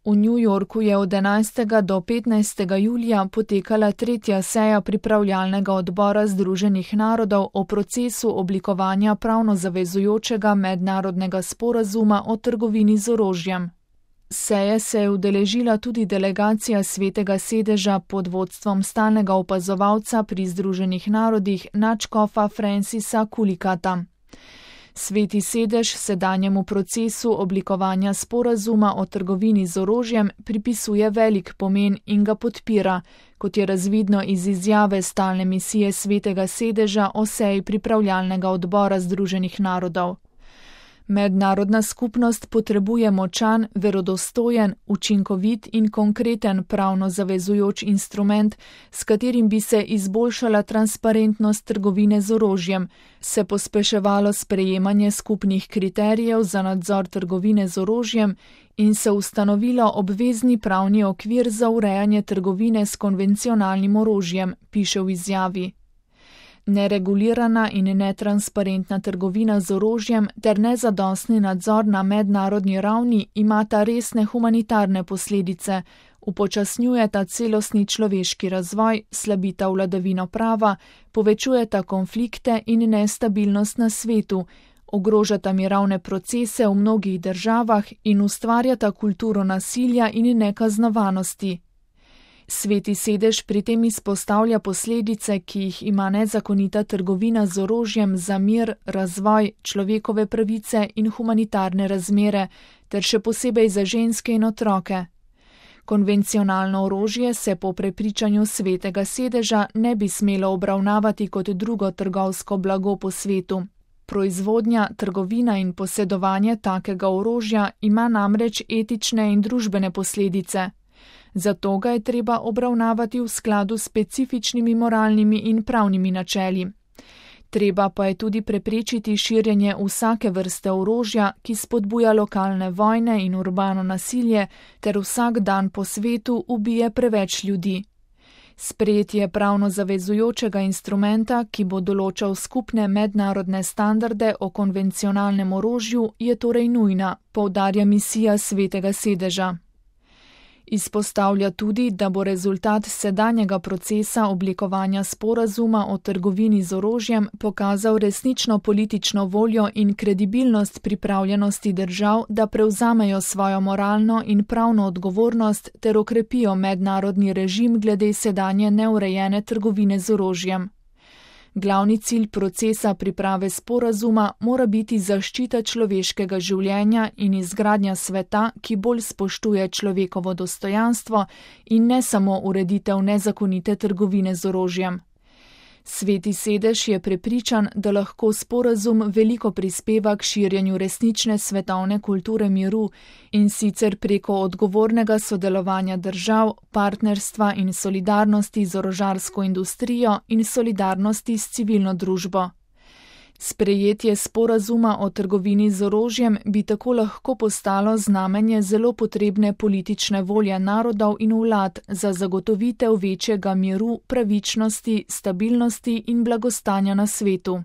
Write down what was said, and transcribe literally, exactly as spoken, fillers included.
V New Yorku je od enajstega do petnajstega julija potekala tretja seja pripravljalnega odbora Združenih narodov o procesu oblikovanja pravno zavezujočega mednarodnega sporazuma o trgovini z orožjem. Seje se je udeležila tudi delegacija Svetega sedeža pod vodstvom stalnega opazovalca pri Združenih narodih nadškofa Francisa Kulikata. Sveti sedež sedanjemu procesu oblikovanja sporazuma o trgovini z orožjem pripisuje velik pomen in ga podpira, kot je razvidno iz izjave stalne misije Svetega sedeža o seji pripravljalnega odbora Združenih narodov. Mednarodna skupnost potrebuje močan, verodostojen, učinkovit in konkreten pravno zavezujoč instrument, s katerim bi se izboljšala transparentnost trgovine z orožjem, se pospeševalo sprejemanje skupnih kriterijev za nadzor trgovine z orožjem in se ustanovilo obvezni pravni okvir za urejanje trgovine s konvencionalnim orožjem, piše v izjavi. Neregulirana in netransparentna trgovina z orožjem ter nezadostni nadzor na mednarodni ravni imata resne humanitarne posledice, upočasnjujeta celostni človeški razvoj, slabita vladavino prava, povečujeta konflikte in nestabilnost na svetu, ogrožata mirovne procese v mnogih državah in ustvarjata kulturo nasilja in nekaznovanosti. Sveti sedež pri tem izpostavlja posledice, ki jih ima nezakonita trgovina z orožjem za mir, razvoj, človekove pravice in humanitarne razmere, ter še posebej za ženske in otroke. Konvencionalno orožje se po prepričanju Svetega sedeža ne bi smelo obravnavati kot drugo trgovsko blago po svetu. Proizvodnja, trgovina in posedovanje takega orožja ima namreč etične in družbene posledice. Zato ga je treba obravnavati v skladu s specifičnimi moralnimi in pravnimi načeli. Treba pa je tudi preprečiti širjenje vsake vrste orožja, ki spodbuja lokalne vojne in urbano nasilje, ter vsak dan po svetu ubije preveč ljudi. Sprejetje pravno zavezujočega instrumenta, ki bo določal skupne mednarodne standarde o konvencionalnem orožju, je torej nujna, poudarja misija Svetega sedeža. Izpostavlja tudi, da bo rezultat sedanjega procesa oblikovanja sporazuma o trgovini z orožjem pokazal resnično politično voljo in kredibilnost pripravljenosti držav, da prevzamejo svojo moralno in pravno odgovornost ter okrepijo mednarodni režim glede sedanje neurejene trgovine z orožjem. Glavni cilj procesa priprave sporazuma mora biti zaščita človeškega življenja in izgradnja sveta, ki bolj spoštuje človekovo dostojanstvo in ne samo ureditev nezakonite trgovine z orožjem. Sveti sedež je prepričan, da lahko sporazum veliko prispeva k širjenju resnične svetovne kulture miru in sicer preko odgovornega sodelovanja držav, partnerstva in solidarnosti z orožarsko industrijo in solidarnosti s civilno družbo. Sprejetje sporazuma o trgovini z orožjem bi tako lahko postalo znamenje zelo potrebne politične volje narodov in vlad za zagotovitev večjega miru, pravičnosti, stabilnosti in blagostanja na svetu.